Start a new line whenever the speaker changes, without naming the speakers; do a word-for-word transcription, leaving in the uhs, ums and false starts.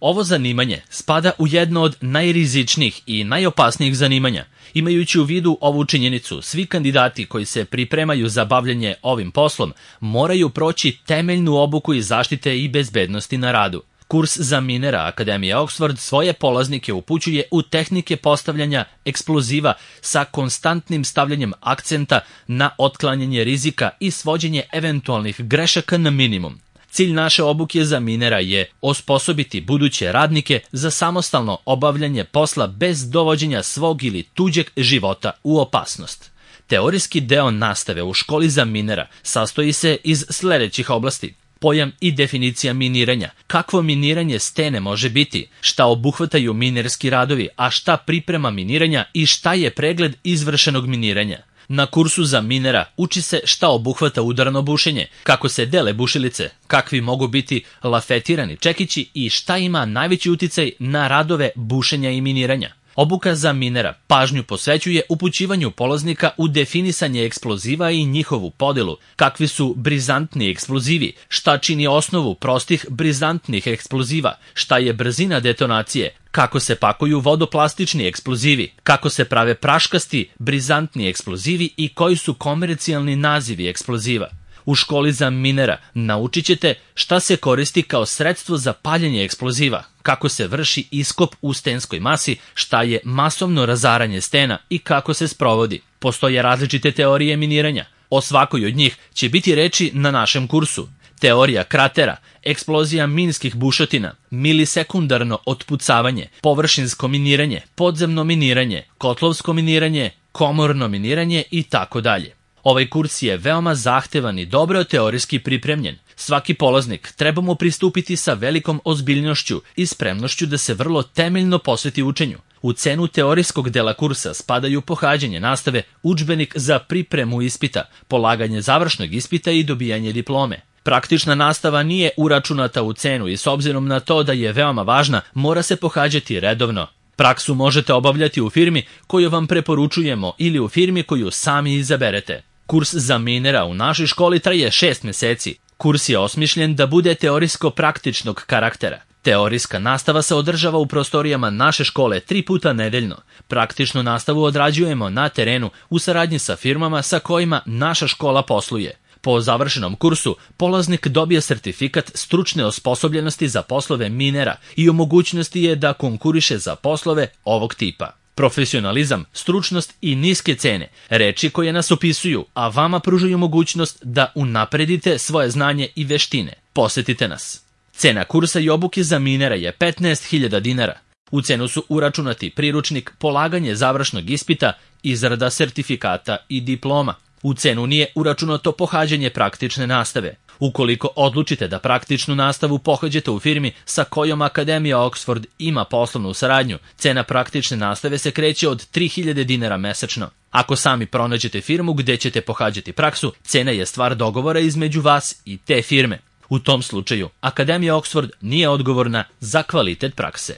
Ovo zanimanje spada u jedno od najrizičnijih i najopasnijih zanimanja. Imajući u vidu ovu činjenicu, svi kandidati koji se pripremaju za bavljanje ovim poslom moraju proći temeljnu obuku iz zaštite i bezbednosti na radu. Kurs za minera Akademije Oxford svoje polaznike upućuje u tehnike postavljanja eksploziva sa konstantnim stavljanjem akcenta na otklanjanje rizika i svođenje eventualnih grešaka na minimum. Cilj naše obuke za minera je osposobiti buduće radnike za samostalno obavljanje posla bez dovođenja svog ili tuđeg života u opasnost. Teorijski deo nastave u školi za minera sastoji se iz sledećih oblasti: pojam i definicija miniranja, kakvo miniranje stene može biti, šta obuhvataju minerski radovi, a šta priprema miniranja i šta je pregled izvršenog miniranja. Na kursu za minera uči se šta obuhvata udarno bušenje, kako se dele bušilice, kakvi mogu biti lafetirani čekići i šta ima najveći uticaj na radove bušenja i miniranja. Obuka za minera pažnju posvećuje upućivanju polaznika u definisanje eksploziva i njihovu podelu, kakvi su brizantni eksplozivi, šta čini osnovu prostih brizantnih eksploziva, šta je brzina detonacije, kako se pakuju vodoplastični eksplozivi, kako se prave praškasti brizantni eksplozivi i koji su komercijalni nazivi eksploziva. U školi za minera naučit ćete šta se koristi kao sredstvo za paljenje eksploziva, kako se vrši iskop u stenskoj masi, šta je masovno razaranje stena i kako se sprovodi. Postoje različite teorije miniranja. O svakoj od njih će biti reči na našem kursu. Teorija kratera, eksplozija minskih bušotina, milisekundarno otpucavanje, površinsko miniranje, podzemno miniranje, kotlovsko miniranje, komorno miniranje i tako dalje. Ovaj kurs je veoma zahtevan i dobro teorijski pripremljen. Svaki polaznik treba mu pristupiti sa velikom ozbiljnošću i spremnošću da se vrlo temeljno posveti učenju. U cenu teorijskog dela kursa spadaju pohađanje nastave, udžbenik za pripremu ispita, polaganje završnog ispita i dobijanje diplome. Praktična nastava nije uračunata u cenu i s obzirom na to da je veoma važna, mora se pohađati redovno. Praksu možete obavljati u firmi koju vam preporučujemo ili u firmi koju sami izaberete. Kurs za minera u našoj školi traje šest meseci. Kurs je osmišljen da bude teorijsko-praktičnog karaktera. Teorijska nastava se održava u prostorijama naše škole tri puta nedeljno. Praktičnu nastavu odrađujemo na terenu u saradnji sa firmama sa kojima naša škola posluje. Po završenom kursu, polaznik dobije sertifikat stručne osposobljenosti za poslove minera i u mogućnosti je da konkuriše za poslove ovog tipa. Profesionalizam, stručnost i niske cene, reči koje nas opisuju, a vama pružaju mogućnost da unapredite svoje znanje i veštine. Posetite nas. Cena kursa i obuke za minera je petnaest hiljada dinara. U cenu su uračunati priručnik, polaganje završnog ispita, izrada sertifikata i diploma. U cenu nije uračunato pohađanje praktične nastave. Ukoliko odlučite da praktičnu nastavu pohađate u firmi sa kojom Akademija Oxford ima poslovnu saradnju, cena praktične nastave se kreće od tri hiljade dinara mesečno. Ako sami pronađete firmu gde ćete pohađati praksu, cena je stvar dogovora između vas i te firme. U tom slučaju, Akademija Oxford nije odgovorna za kvalitet prakse.